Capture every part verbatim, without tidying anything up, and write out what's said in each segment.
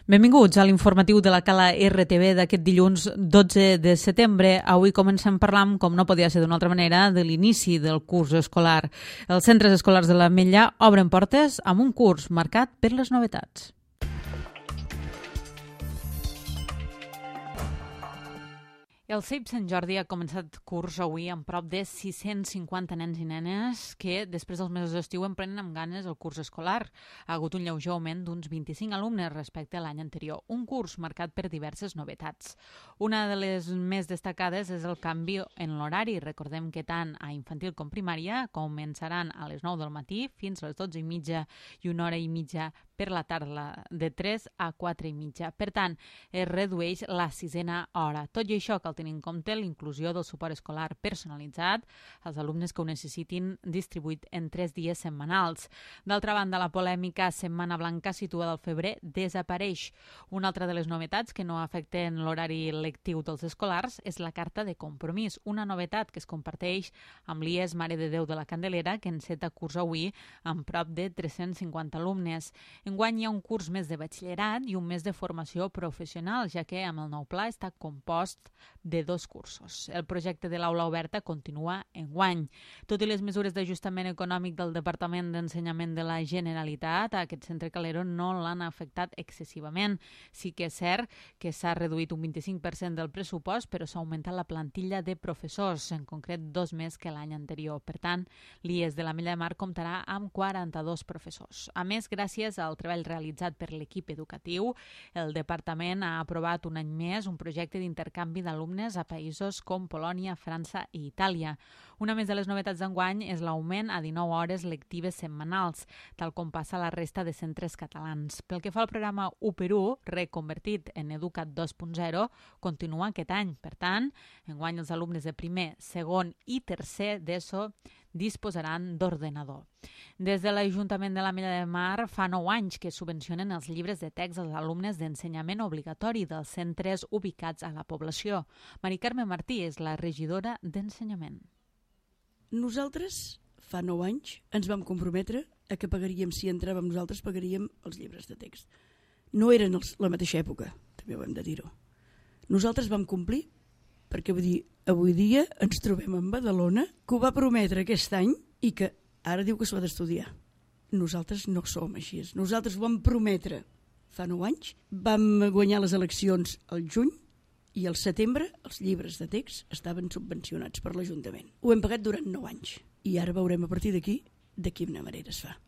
Benvinguts a l'informatiu de la Cala R T V d'aquest dilluns dotze de setembre. Avui comencem parlant, com no podia ser d'una altra manera, de l'inici del curs escolar. Els centres escolars de l'Ametlla obren portes amb un curs marcat per les novetats. El C E I P Sant Jordi ha començat curs avui amb prop de sis-cents cinquanta nens i nenes que, després dels mesos d'estiu, emprenen amb ganes el curs escolar. Ha hagut un lleuger augment d'uns vint-i-cinc alumnes respecte a l'any anterior, un curs marcat per diverses novetats. Una de les més destacades és el canvi en l'horari. Recordem que tant a infantil com primària començaran a les nou del matí fins a les dotze i mitja i una hora i mitja per la tarda, de tres a quatre i mitja. Per tant, es redueix la sisena hora. Tot i això, cal tenir en compte l'inclusió del suport escolar personalitzat als alumnes que ho necessitin, distribuït en tres dies setmanals. D'altra banda, la polèmica Setmana Blanca situada al febrer desapareix. Una altra de les novetats que no afecten l'horari lectiu dels escolars és la carta de compromís, una novetat que es comparteix amb l'I E S Mare de Déu de la Candelera, que enceta curs avui amb prop de tres-cents cinquanta alumnes. Enguany hi ha un curs més de batxillerat i un mes de formació professional, ja que amb el nou pla està compost de dos cursos. El projecte de l'aula oberta continua enguany. Tot i les mesures d'ajustament econòmic del Departament d'Ensenyament de la Generalitat, aquest centre Calero no l'han afectat excessivament. Sí que és cert que s'ha reduït un vint-i-cinc per cent del pressupost, però s'ha augmentat la plantilla de professors, en concret dos més que l'any anterior. Per tant, l'I E S de l'Ametlla de Mar comptarà amb quaranta-dos professors. A més, gràcies al treball realitzat per l'equip educatiu, el departament ha aprovat un any més un projecte d'intercanvi d'alumnes a països com Polònia, França i Itàlia. Una més de les novetats d'enguany és l'augment a dinou hores lectives setmanals, tal com passa a la resta de centres catalans. Pel que fa al programa u per u, reconvertit en Educat dos punt zero, continua aquest any. Per tant, enguany els alumnes de primer, segon i tercer d'ESO disposaran d'ordenador. Des de l'Ajuntament de l'Ametlla de Mar fa nou anys que subvencionen els llibres de text als alumnes d'ensenyament obligatori dels centres ubicats a la població. Mari Carme Martí és la regidora d'Ensenyament. Nosaltres, fa nou anys, ens vam comprometre a que pagaríem, si entràvem nosaltres, pagaríem els llibres de text. No eren els, la mateixa època, també ho hem de dir-ho. Nosaltres vam complir, perquè vull dir, avui dia ens trobem en Badalona, que ho va prometre aquest any i que ara diu que s'ho ha d'estudiar. Nosaltres no som així. Nosaltres ho vam prometre fa nou anys, vam guanyar les eleccions al juny i al setembre els llibres de text estaven subvencionats per l'Ajuntament. Ho hem pagat durant nou anys i ara veurem a partir d'aquí de quina manera es fa.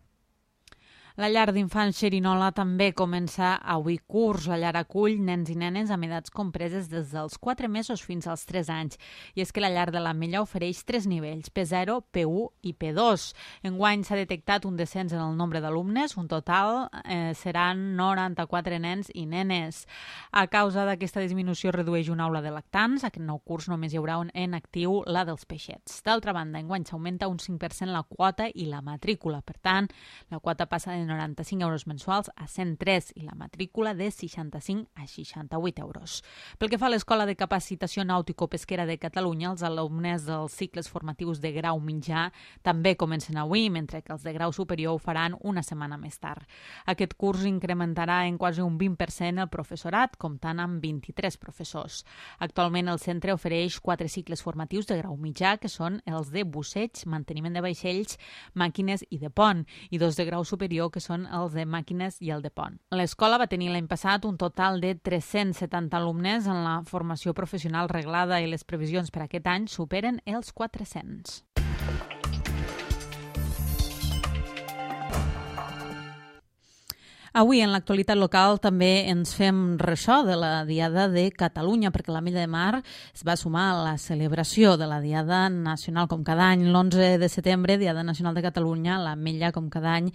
La llar d'infants Xerinola també comença avui curs. La llar acull nens i nenes amb edats compreses des dels quatre mesos fins als tres anys. I és que la llar de l'Ametlla ofereix tres nivells, P zero, P u i P dos. Enguany s'ha detectat un descens en el nombre d'alumnes, un total eh, seran noranta-quatre nens i nenes. A causa d'aquesta disminució redueix una aula de lactants. Aquest nou curs només hi haurà un en actiu, la dels peixets. D'altra banda, enguany s'augmenta un cinc per cent la quota i la matrícula. Per tant, la quota passa de noranta-cinc euros mensuals a cent tres i la matrícula de seixanta-cinc a seixanta-vuit euros. Pel que fa a l'Escola de Capacitació Nàutico-Pesquera de Catalunya, els alumnes dels cicles formatius de grau mitjà també comencen avui, mentre que els de grau superior ho faran una setmana més tard. Aquest curs incrementarà en quasi un vint per cent el professorat, comptant amb vint-i-tres professors. Actualment el centre ofereix quatre cicles formatius de grau mitjà, que són els de busseig, manteniment de vaixells, màquines i de pont, i dos de grau superior, que són els de màquines i el de pont. L'escola va tenir l'any passat un total de tres-cents setanta alumnes en la formació professional reglada i les previsions per aquest any superen els quatre-cents. Avui, en l'actualitat local, també ens fem ressò de la Diada de Catalunya, perquè l'Ametlla de Mar es va sumar a la celebració de la Diada Nacional, com cada any. L'onze de setembre, Diada Nacional de Catalunya, l'Ametlla, com cada any,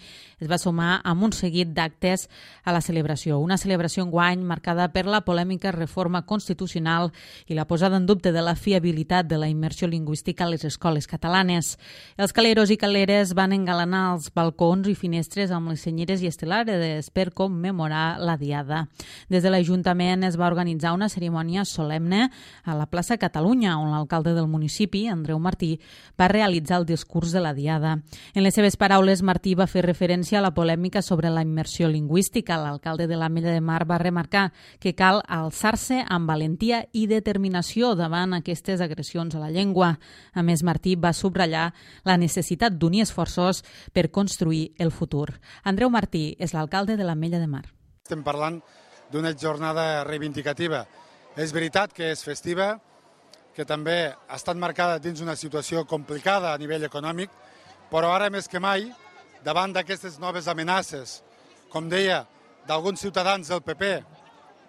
es va sumar amb un seguit d'actes a la celebració. Una celebració enguany marcada per la polèmica reforma constitucional i la posada en dubte de la fiabilitat de la immersió lingüística a les escoles catalanes. Els caleros i caleres van engalanar els balcons i finestres amb les senyeres i estelades per commemorar la Diada. Des de l'Ajuntament es va organitzar una cerimònia solemne a la plaça Catalunya, on l'alcalde del municipi, Andreu Martí, va realitzar el discurs de la Diada. En les seves paraules, Martí va fer referència a la polèmica sobre la immersió lingüística. L'alcalde de l'Ametlla de Mar va remarcar que cal alçar-se amb valentia i determinació davant aquestes agressions a la llengua. A més, Martí va subratllar la necessitat d'unir esforços per construir el futur. Andreu Martí és l'alcalde de l'Ametlla de Mar. Estem parlant d'una jornada reivindicativa. És veritat que és festiva, que també ha estat marcada dins una situació complicada a nivell econòmic, però ara més que mai, davant d'aquestes noves amenaces, com deia, d'alguns ciutadans del P P,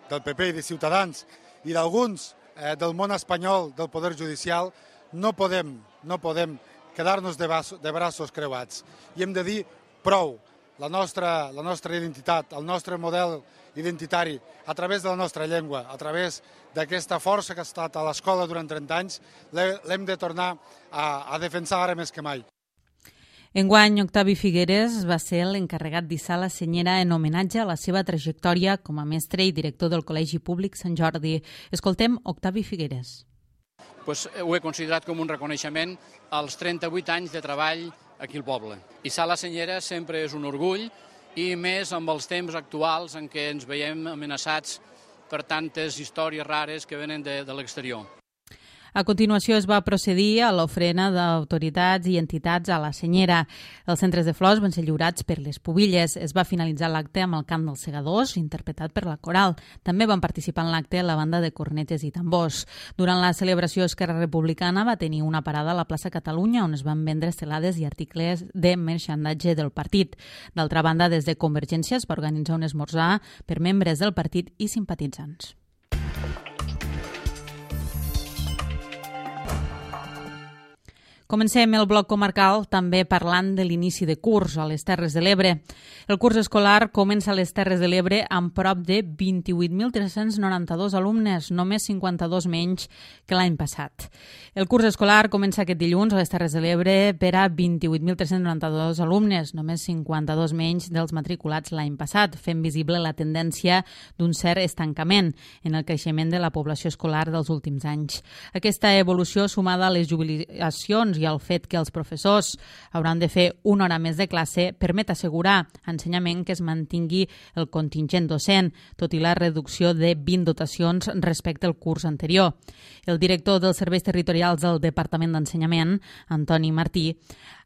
del P P i de Ciutadans, i d'alguns eh, del món espanyol, del Poder Judicial, no podem, no podem quedar-nos de, de braços creuats. I hem de dir prou. La nostra, la nostra identitat, el nostre model identitari, a través de la nostra llengua, a través d'aquesta força que ha estat a l'escola durant trenta anys, l'hem de tornar a, a defensar ara més que mai. Enguany, Octavi Figueres va ser l'encarregat d'hissar la senyera en homenatge a la seva trajectòria com a mestre i director del Col·legi Públic Sant Jordi. Escoltem Octavi Figueres. Pues ho he considerat com un reconeixement als trenta-vuit anys de treball aquí al poble. Hissar la senyera sempre és un orgull, i més amb els temps actuals en què ens veiem amenaçats per tantes històries rares que venen de, de l'exterior. A continuació es va procedir a l'ofrena d'autoritats i entitats a la senyera. Els centres de flors van ser lliurats per les pubilles. Es va finalitzar l'acte amb el cant dels segadors, interpretat per la coral. També van participar en l'acte la banda de cornetes i tambors. Durant la celebració, Esquerra Republicana va tenir una parada a la plaça Catalunya, on es van vendre estelades i articles de merchandatge del partit. D'altra banda, des de Convergència es va organitzar un esmorzar per membres del partit i simpatitzants. Comencem el bloc comarcal també parlant de l'inici de curs a les Terres de l'Ebre. El curs escolar comença a les Terres de l'Ebre amb prop de vint-i-vuit mil tres-cents noranta-dos alumnes, només cinquanta-dos menys que l'any passat. El curs escolar comença aquest dilluns a les Terres de l'Ebre per a vint-i-vuit mil tres-cents noranta-dos alumnes, només cinquanta-dos menys dels matriculats l'any passat, fent visible la tendència d'un cert estancament en el creixement de la població escolar dels últims anys. Aquesta evolució, sumada a les jubilacions i al fet que els professors hauran de fer una hora més de classe, permet assegurar ensenyament que es mantingui el contingent docent, tot i la reducció de vint dotacions respecte al curs anterior. El director dels serveis territorials del Departament d'Ensenyament, Antoni Martí,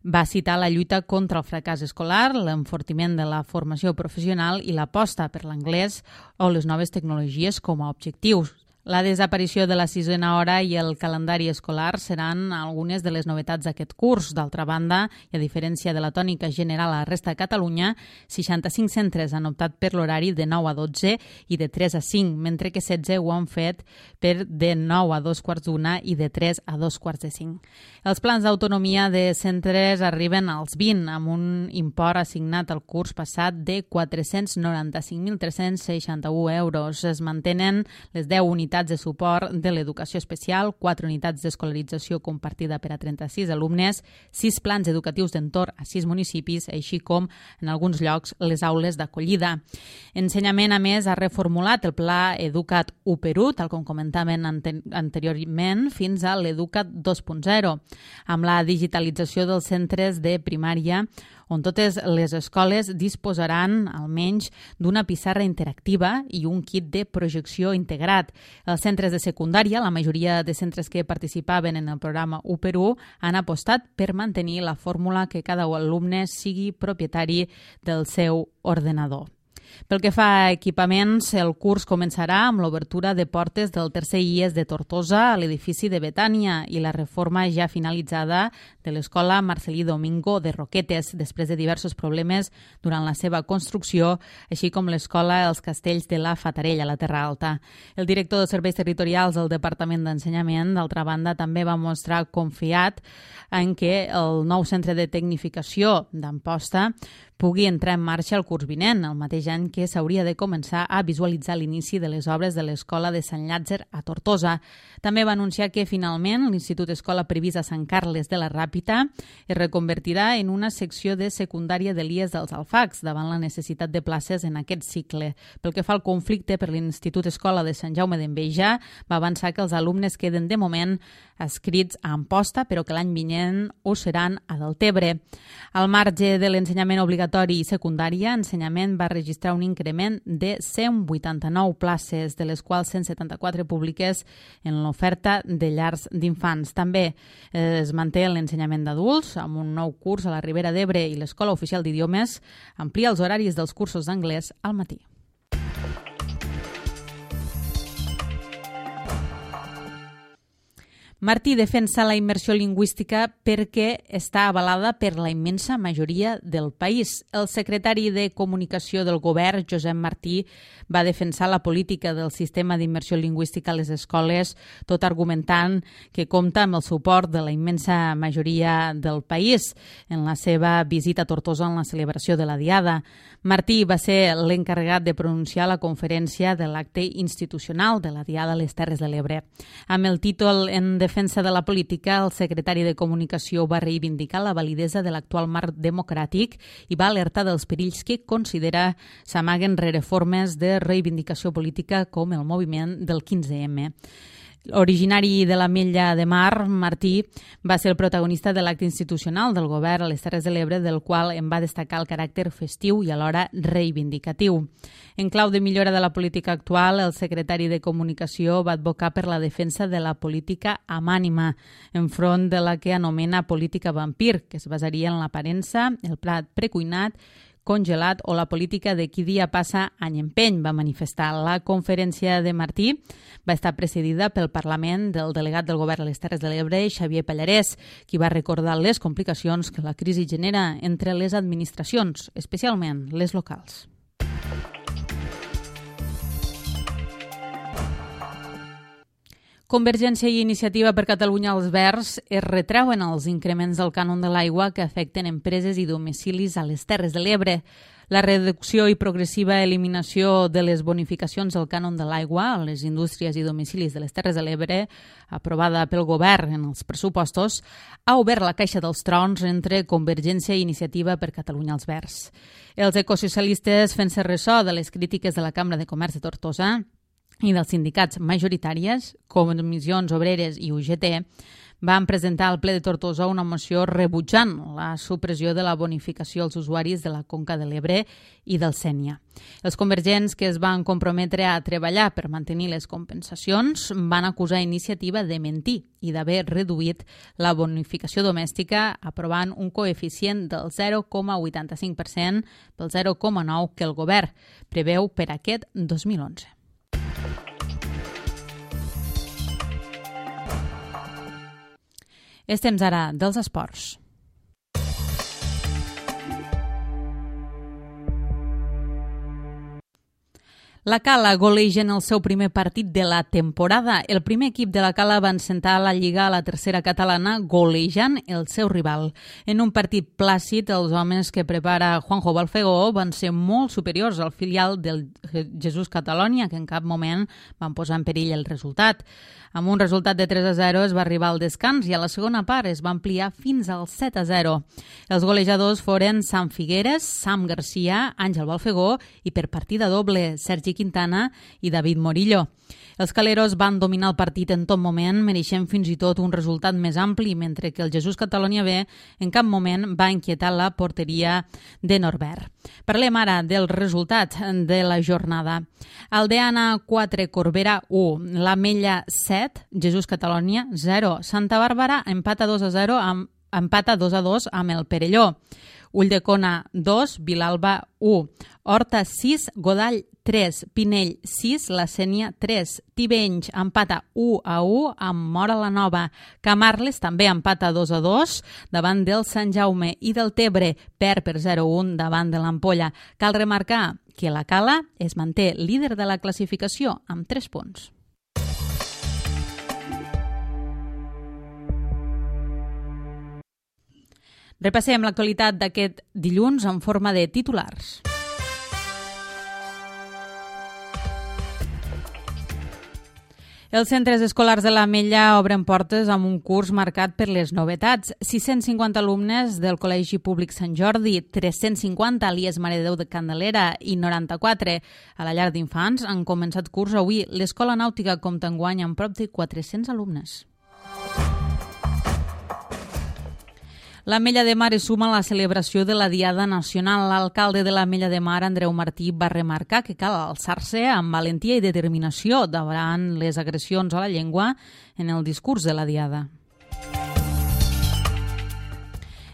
va citar la lluita contra el fracàs escolar, l'enfortiment de la formació professional i l'aposta per l'anglès o les noves tecnologies com a objectius. La desaparició de la sisena hora i el calendari escolar seran algunes de les novetats d'aquest curs. D'altra banda, i a diferència de la tònica general a la resta de Catalunya, seixanta-cinc centres han optat per l'horari de nou a dotze i de tres a cinc, mentre que setze ho han fet per de nou a dos quarts d'una i de tres a dos quarts de cinc. Els plans d'autonomia de centres arriben als vint, amb un import assignat al curs passat de quatre-cents noranta-cinc mil tres-cents seixanta-u euros. Es mantenen les deu unitats de suport de l'educació especial, quatre unitats d'escolarització compartida per a trenta-sis alumnes, sis plans educatius d'entorn a sis municipis, així com, en alguns llocs, les aules d'acollida. Ensenyament, a més, ha reformulat el pla Educat u per u, tal com comentaven ante- anteriorment, fins a l'Educat dos punt zero, amb la digitalització dels centres de primària, on totes les escoles disposaran almenys d'una pissarra interactiva i un kit de projecció integrat. Els centres de secundària, la majoria de centres que participaven en el programa u per u, han apostat per mantenir la fórmula que cada alumne sigui propietari del seu ordenador. Pel que fa a equipaments, el curs començarà amb l'obertura de portes del tercer I E S de Tortosa a l'edifici de Betània i la reforma ja finalitzada de l'escola Marcelí Domingo de Roquetes, després de diversos problemes durant la seva construcció, així com l'escola Els Castells de la Fatarella, a la Terra Alta. El director de Serveis Territorials del Departament d'Ensenyament, d'altra banda, també va mostrar confiat en que el nou centre de tecnificació d'Amposta pugui entrar en marxa el curs vinent, el mateix any any que s'hauria de començar a visualitzar l'inici de les obres de l'Escola de Sant Llàtzer a Tortosa. També va anunciar que finalment l'Institut Escola previst a Sant Carles de la Ràpita es reconvertirà en una secció de secundària de l'I E S dels Alfacs davant la necessitat de places en aquest cicle. Pel que fa al conflicte per l'Institut Escola de Sant Jaume d'Enveja, va avançar que els alumnes queden de moment escrits a Amposta, però que l'any vinent ho seran a Deltebre. Al marge de l'ensenyament obligatori i secundària, Ensenyament va registrar un increment de cent vuitanta-nou places, de les quals cent setanta-quatre públiques en l'oferta de llars d'infants. També es manté l'ensenyament d'adults, amb un nou curs a la Ribera d'Ebre i l'Escola Oficial d'Idiomes amplia els horaris dels cursos d'anglès al matí. Martí defensa la immersió lingüística perquè està avalada per la immensa majoria del país. El secretari de Comunicació del Govern, Josep Martí, va defensar la política del sistema d'immersió lingüística a les escoles, tot argumentant que compta amb el suport de la immensa majoria del país en la seva visita a Tortosa en la celebració de la Diada. Martí va ser l'encarregat de pronunciar la conferència de l'acte institucional de la Diada a les Terres de l'Ebre. Amb el títol En defensa de la política, el secretari de Comunicació va reivindicar la validesa de l'actual marc democràtic i va alertar dels perills que considera s'amaguen rere formes de reivindicació política com el moviment del quinze eme. Originari de l'Ametlla de Mar, Martí va ser el protagonista de l'acte institucional del govern a les Terres de l'Ebre, del qual en va destacar el caràcter festiu i alhora reivindicatiu. En clau de millora de la política actual, el secretari de Comunicació va advocar per la defensa de la política amb ànima, enfront de la que anomena política vampir, que es basaria en l'aparença, el plat precuinat, congelat o la política de qui dia passa any empeny, va manifestar. La conferència de Martí va estar precedida pel Parlament del delegat del Govern a les Terres de l'Ebre, Xavier Pallarès, qui va recordar les complicacions que la crisi genera entre les administracions, especialment les locals. Convergència i Iniciativa per Catalunya als Verds es retreuen els increments del cànon de l'aigua que afecten empreses i domicilis a les Terres de l'Ebre. La reducció i progressiva eliminació de les bonificacions del cànon de l'aigua a les indústries i domicilis de les Terres de l'Ebre, aprovada pel govern en els pressupostos, ha obert la caixa dels trons entre Convergència i Iniciativa per Catalunya als Verds. Els ecosocialistes, fent-se ressò de les crítiques de la Cambra de Comerç de Tortosa i dels sindicats majoritàries, Comissions Obreres i U G T, van presentar al ple de Tortosa una moció rebutjant la supressió de la bonificació als usuaris de la Conca de l'Ebre i del Sénia. Els convergents, que es van comprometre a treballar per mantenir les compensacions, van acusar Iniciativa de mentir i d'haver reduït la bonificació domèstica aprovant un coeficient del zero coma vuitanta-cinc per cent pel zero coma nou que el govern preveu per aquest dos mil onze. És temps ara dels esports. La Cala goleja en el seu primer partit de la temporada. El primer equip de la Cala va encetar la Lliga a la tercera catalana golejant el seu rival. En un partit plàcid, els homes que prepara Juanjo Balfegó van ser molt superiors al filial del Jesús Catalonia, que en cap moment van posar en perill el resultat. Amb un resultat de tres a zero es va arribar al descans i a la segona part es va ampliar fins al set a zero. Els golejadors foren Sam Figueres, Sam Garcia, Àngel Balfegó i per partida doble Sergi Quintana i David Morillo. Els caleros van dominar el partit en tot moment, mereixent fins i tot un resultat més ampli, mentre que el Jesús Catalonia B en cap moment va inquietar la porteria de Norbert. Parlem ara del resultat de la jornada. Aldeana quatre, Corbera u, l'Ametlla set, Jesús Catalonia zero, Santa Bàrbara empata dos a zero amb empata dos a dos amb el Perelló. Ulldecona dos, Vilalba u, Horta sis, Godall tres, Pinell sis, La Sénia tres, Tivenys empata u a u amb Móra la Nova. Camarles també empata dos a dos davant del Sant Jaume i del Tebre perd per zero a un davant de l'Ampolla. Cal remarcar que la Cala es manté líder de la classificació amb tres punts. Repassem l'actualitat d'aquest dilluns en forma de titulars. Els centres escolars de l'Ametlla obren portes amb un curs marcat per les novetats. sis-cents cinquanta alumnes del Col·legi Públic Sant Jordi, tres-cents cinquanta a l'I E S Mare de Déu de Candelera i noranta-quatre a la llar d'infants han començat curs avui. L'Escola Nàutica compta enguany amb prop de quatre-cents alumnes. L'Ametlla de Mar es suma a la celebració de la Diada Nacional. L'alcalde de l'Ametlla de Mar, Andreu Martí, va remarcar que cal alçar-se amb valentia i determinació davant les agressions a la llengua en el discurs de la Diada.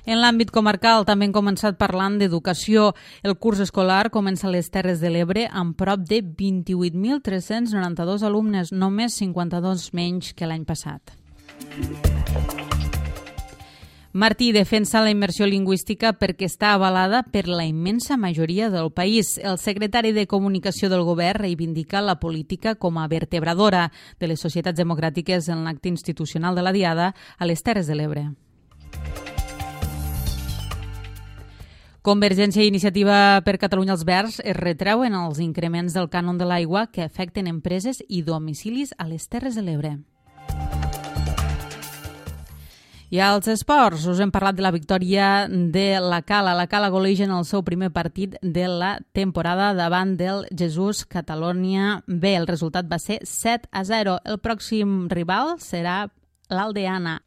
En l'àmbit comarcal també hem començat parlant d'educació. El curs escolar comença a les Terres de l'Ebre amb prop de vint-i-vuit mil tres-cents noranta-dos alumnes, només cinquanta-dos menys que l'any passat. Martí defensa la immersió lingüística perquè està avalada per la immensa majoria del país. El secretari de Comunicació del Govern reivindica la política com a vertebradora de les societats democràtiques en l'acte institucional de la Diada a les Terres de l'Ebre. Convergència i Iniciativa per Catalunya als Verds es retreuen els increments del cànon de l'aigua que afecten empreses i domicilis a les Terres de l'Ebre. I als esports, us hem parlat de la victòria de la Cala. La Cala goleix en el seu primer partit de la temporada davant del Jesús Catalonia B. El resultat va ser set a zero. El pròxim rival serà l'Aldeana.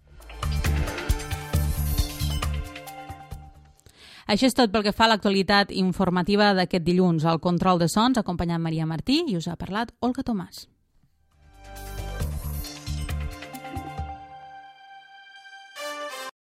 Això és tot pel que fa a l'actualitat informativa d'aquest dilluns. Al control de sons ha acompanyat Maria Martí i us ha parlat Olga Tomàs.